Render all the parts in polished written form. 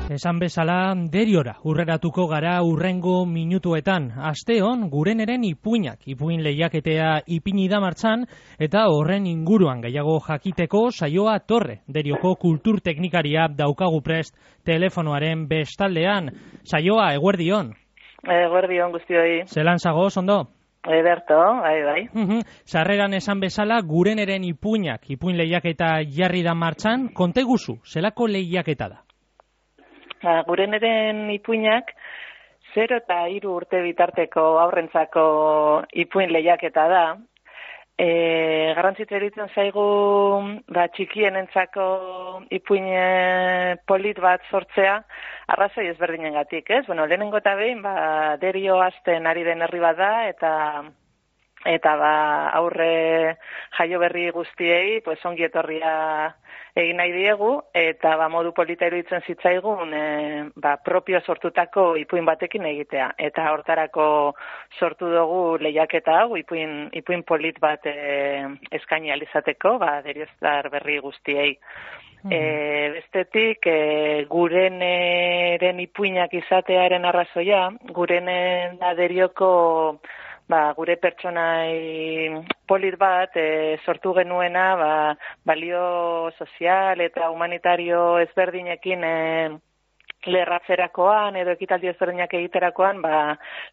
Esan bezala, Deriora urreratuko gara urrengo minutuetan. Asteon, gureneren ipuinak, ipuin lehiaketea ipini da martxan, eta horren inguruan gehiago jakiteko saioa Torre, Derioko kulturteknikaria daukagu prest telefonoaren bestaldean. Saioa, eguerdion. Eguerdion guztioi. Zelan zagoz, ondo? Ederto, bai. Sarreran esan bezala, gureneren ipuinak, ipuin lehiaketa jarri da martxan, konte guzu, zelako lehiaketa da? Gureneren ipuinak 0 eta 3 urte bitarteko aurrentzako ipuin lehiaketa da. Garrantzitsu iruditzen zaigu txikienentzako ipuin polit bat sortzea arrazoi ezberdinengatik, ez? Lehenengo eta behin Derio hasten ari den herri bat da eta aurre jaio berri guztiei ongi etorria egin nahi diegu, eta modu polita iruditzen zitzaigun propio sortutako ipuin batekin egitea. Eta hortarako sortu dugu lehiaketa hau, ipuin polit bat eskaini alizateko, derioztar berri guztiei. Bestetik, gureneren ipuinak izatearen arrazoia, gurenen da Derioko gure pertsonai polit bat sortu genuena balio sozial eta humanitario ezberdinekin lerratzerakoan edo ekitaldi ezberdinak egiterakoan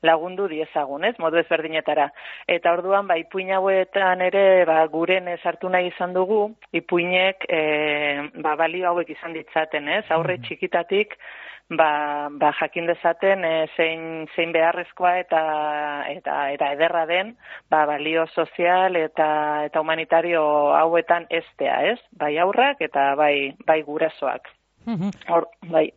lagundu diezagun, ez, modu ezberdinetara. Eta orduan ipuin hauetan ere guren sartu nahi izan dugu, ipuinek balio hauek izan ditzaten, ez, aurre txikitatik jakin dezaten zein beharrezkoa eta ederra den balio sozial eta humanitario hauetan estea, ez? Bai aurrak eta bai gurasoak. Bai.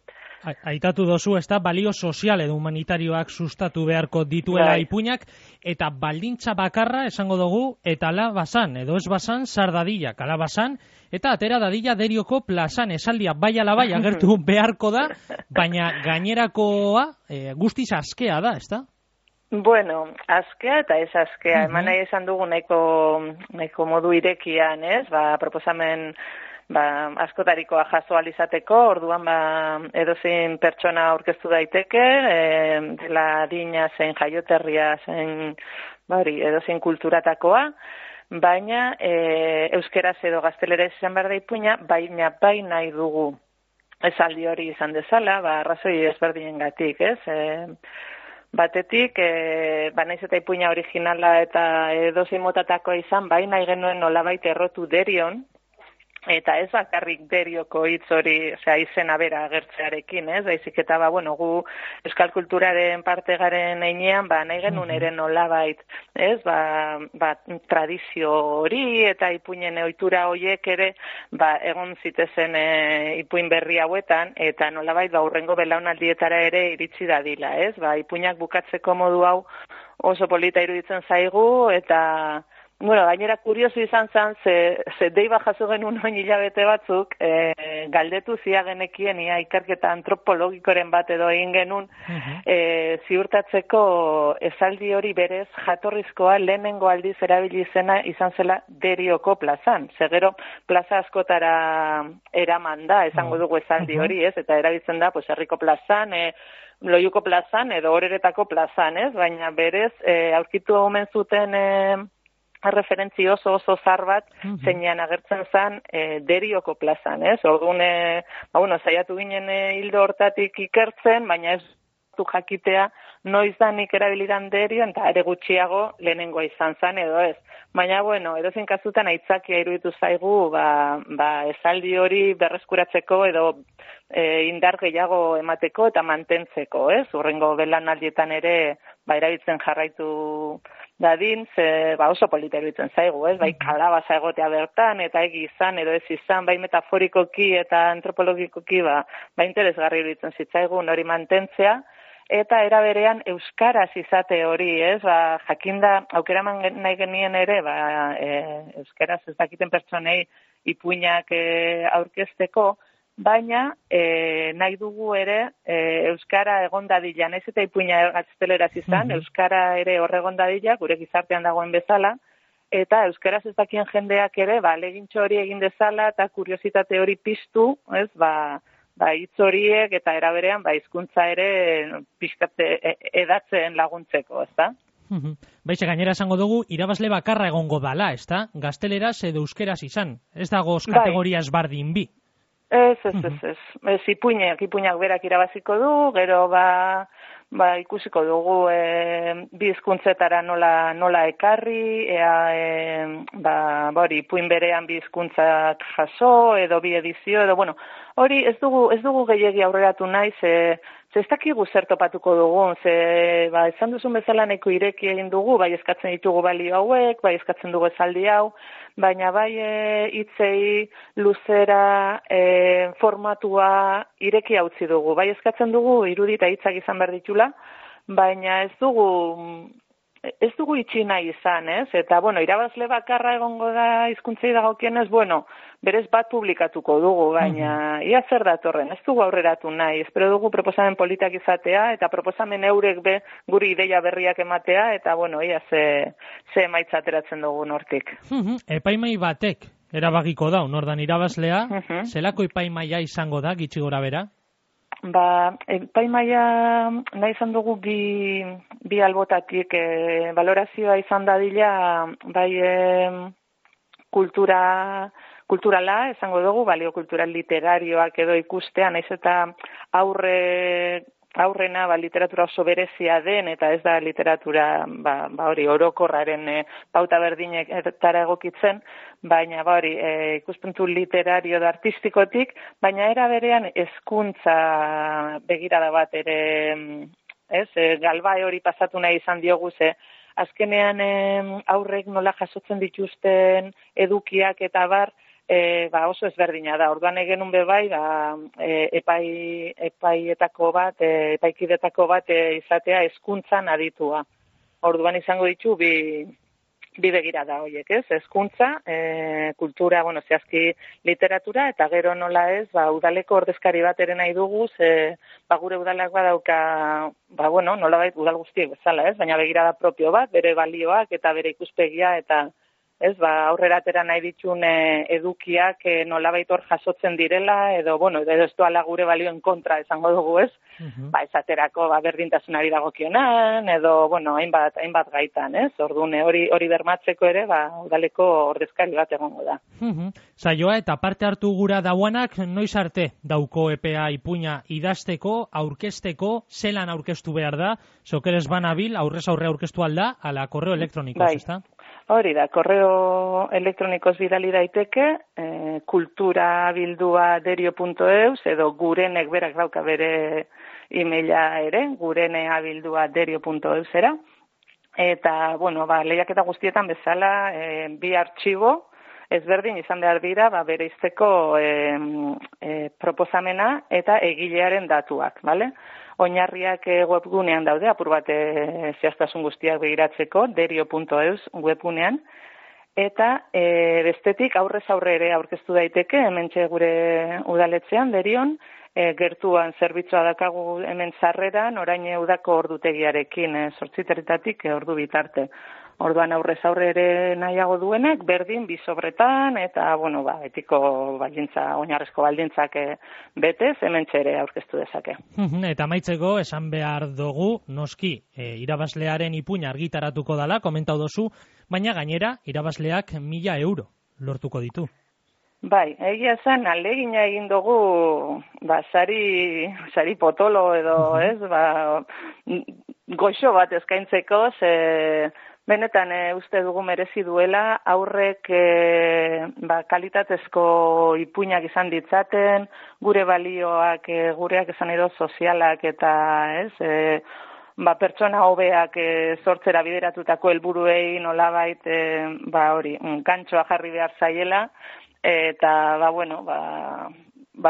Aitatu dozu, ez da, balio sozial edo humanitarioak sustatu beharko dituela ipuinak, eta baldintza bakarra esango dugu, eta ala basan, edo ez basan, sar dadillak, ala basan, eta atera dadila Derioko plazan, esaldia bai ala bai agertu beharko da, baina gainerakoa guztiz askea da, ez da? Bueno, askea eta ez askea, eman nahi esan dugu nahiko modu irekian, ez? Proposamen askotarikoa jaso alizateko, orduan edozein pertsona aurkeztu daiteke, dela adina zein jaioterria zein edozein kulturatakoa, baina euskeraz edo gazteleraz izan behar da ipuina, baina bai nahi dugu esaldi hori izan dezala, arrazoi ezberdinengatik, ez? Batetik, naiz eta ipuina originala eta edozein motatakoa izan, bai nahi genuen nolabait errotu Derion, eta ez bakarrik Derioko hitz hori, izena bera agertzearekin, ez? Baizik eta gu euskal kulturaren parte garen heinean, nahi genuen ere nolabait, ez? Tradizio hori eta ipuinen ohitura horiek ere, egon zitezen ipuin berri hauetan, eta nolabait hurrengo belaunaldietara ere iritsi dadila, ez? Ipuinak bukatzeko modu hau oso polita iruditzen zaigu, eta gainera kurioso izan zen, ze deiba jaso genuen oin hilabete batzuk, galdetu zia genekien ia ikerketa antropologikoren bat edo egin genuen, ziurtatzeko esaldi hori berez jatorrizkoa lehenengo aldiz erabili zena izan zela Derioko plazan. Gero plaza askotara eraman da, esango dugu esaldi hori, ez? Eta erabiltzen da, herriko plazan, Loiuko plazan edo Oreretako plazan, ez? Baina berez, aurkitu omen zuten referentzi oso zar bat, zeinan agertzen zen Derioko plazan, ez? Orduan, saiatu ginen hildo hortatik ikertzen, baina ez du jakitea noiz da nik erabilidan Derion, eta ere gutxiago lehenengoa izan zen, edo ez. Baina, edozein kasutan aitzakia iruditu zaigu, esaldi hori berreskuratzeko edo indar gehiago emateko eta mantentzeko, ez? Hurrengo belanaldietan ere erabiltzen jarraitu dadin, oso polita iruditzen zaigu, ez? Kalabaza egotea bertan, eta egi izan, edo ez izan, metaforikoki eta antropologikoki, interesgarri iruditzen zitzaigun hori mantentzea, eta era berean euskaraz izate hori, ez? Jakinda, aukeraman nahi genien ere, euskaraz ez dakiten pertsonei ipuinak aurkezteko, baina nahi dugu ere euskara egon dadila, naiz eta ipuina gazteleraz izan, euskara ere horregon dadila, gure gizartean dagoen bezala, eta euskaraz ez dakien jendeak ere, legintxo hori egin dezala, eta kuriositate hori piztu, ez, hitz horiek eta era berean hizkuntza ere pixkat edatzen laguntzeko, ezta? Baixe, gainera esango dugu, irabazle bakarra egongo dala, ezta? Gazteleraz edo euskeraz izan. Ez dagoz kategoria ezbardin bi. Ez. Ipuinak berak irabaziko du, gero ikusiko dugu bi hizkuntzetara nola ekarri, ipuin berean bi hizkuntzak jaso, edo bi edizio, edo, hori ez dugu gehiegi aurreratu nahi, ez dakigu zer topatuko dugun, esan duzun bezala nahiko ireki egin dugu, bai eskatzen ditugu balio hauek, bai eskatzen dugu esaldi hau, baina bai hitzei luzera formatua ireki utzi dugu. Bai eskatzen dugu irudi eta hitzak izan behar ditula, baina ez dugu itxi nahi izan, ez? Eta, irabazle bakarra egongo da hizkuntzei dagokienez, berez bat publikatuko dugu, baina ia zer datorren, ez dugu aurreratu nahi, espero dugu proposamen politak izatea, eta proposamen eurek guri ideia berriak ematea, eta, ia ze emaitza ateratzen dugu nortik. Epaimai batek erabakiko da, nordan irabazlea, zelako epaimaia izango da, gitxi gora bera? Epaimaia nahi izan dugu bi albotatik valorazioa izan dadila, kulturala, esango dugu, balio kultural literarioak edo ikustea, naiz eta aurrena literatura oso berezia den, eta ez da literatura hori orokorraren pauta berdinetara egokitzen, baina ikuspuntu literario da artistikotik, baina era berean hezkuntza begirada bat ere, galbae hori pasatu nahi izan diogu, azkenean aurrek nola jasotzen dituzten edukiak eta oso ezberdina da. Orduan egenun bebai, epaikidetako bat izatea hezkuntzan aditua. Orduan izango ditu bi begirada horiek, ez? Hezkuntza, kultura, zehazki literatura, eta gero nola ez, udaleko ordezkari bat ere nahi dugu, gure udalak badauka, nolabait udal guztiek bezala, ez? Baina begirada propio bat, bere balioak eta bere ikuspegia, eta aurrera atera nahi ditun edukiak nolabait hor jasotzen direla, edo ez doala gure balioen kontra esango dugu, ez? Esaterako berdintasunari dagokionan, edo, hainbat gaitan, ez? Orduan hori bermatzeko ere, udaleko ordezkari bat egongo da. Saioa eta parte hartu gura dauanak, noiz arte dauko epea ipuina idazteko, aurkezteko, zelan aurkeztu behar da, zokeres banabil, aurrez aurre aurkeztu alda, ala korreo elektronikoz, ezta? Hori da, korreo elektronikoz bidali daiteke, kulturabildua@derio.eus, edo gurenek berak dauka bere emaila ere, gureneabildua@derio.eusera. Eta, lehiaketa guztietan bezala, bi artxibo ezberdin izan behar dira, bereizteko proposamena eta egilearen datuak, bale? Oinarriak webgunean daude, apur bat zehaztasun guztiak begiratzeko, derio.eus webgunean, eta bestetik aurrez aurre ere aurkeztu daiteke, hementxe gure udaletzean, Derion, gertuan zerbitzua dakagu hemen sarreran, orain udako ordutegiarekin, 8:00 ordu bitarte. Orduan aurrez aurre ere nahiago duenek, berdin, bi sobretan, eta, etiko baldintza, oinarrezko baldintzak betez, hementxe ere aurkeztu dezake. Eta amaitzeko, esan behar dugu, noski, irabazlearen ipuina argitaratuko dala, komentau dozu, baina gainera, irabazleak 1.000 euro lortuko ditu. Bai, egia zen, alegina egin dugu, sari potolo edo, ez, goxo bat eskaintzeko, benetan uste dugu merezi duela, aurrek kalitatezko ipuinak izan ditzaten, gure balioak, gureak esan edo sozialak eta ez, pertsona hobeak sortzera bideratutako helburuei nolabait gantxoa jarri behar zaiela, eta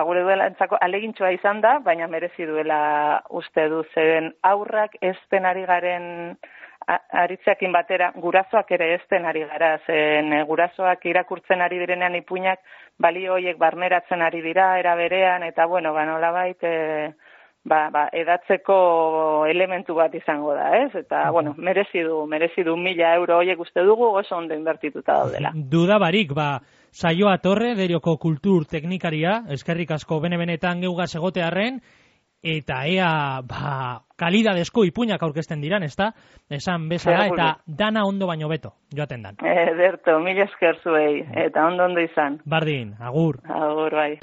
gure duelantzako alegintxoa izan da, baina merezi duela uste du, zeren aurrak ezten ari garen aritzeakin batera, gurasoak ere ezten ari gara, zen gurasoak irakurtzen ari direnean ipuinak balio horiek barneratzen ari dira, era berean, eta nolabait edatzeko elementu bat izango da, ez? Eta, bueno, merezi du 1.000 euro horiek uste dugu oso ondo inbertituta daudela. Duda barik, Saioa Torre, Derioko kultur teknikaria, eskerrik asko bene-benetan geugaz egotearren, eta ea, kalidadezko ipuinak aurkezten diran, ezta? Esan bezala, eta dana ondo baino beto, joaten dan. Ederto, 1000 esker zuei, eta ondo izan. Bardin, agur. Agur, bai.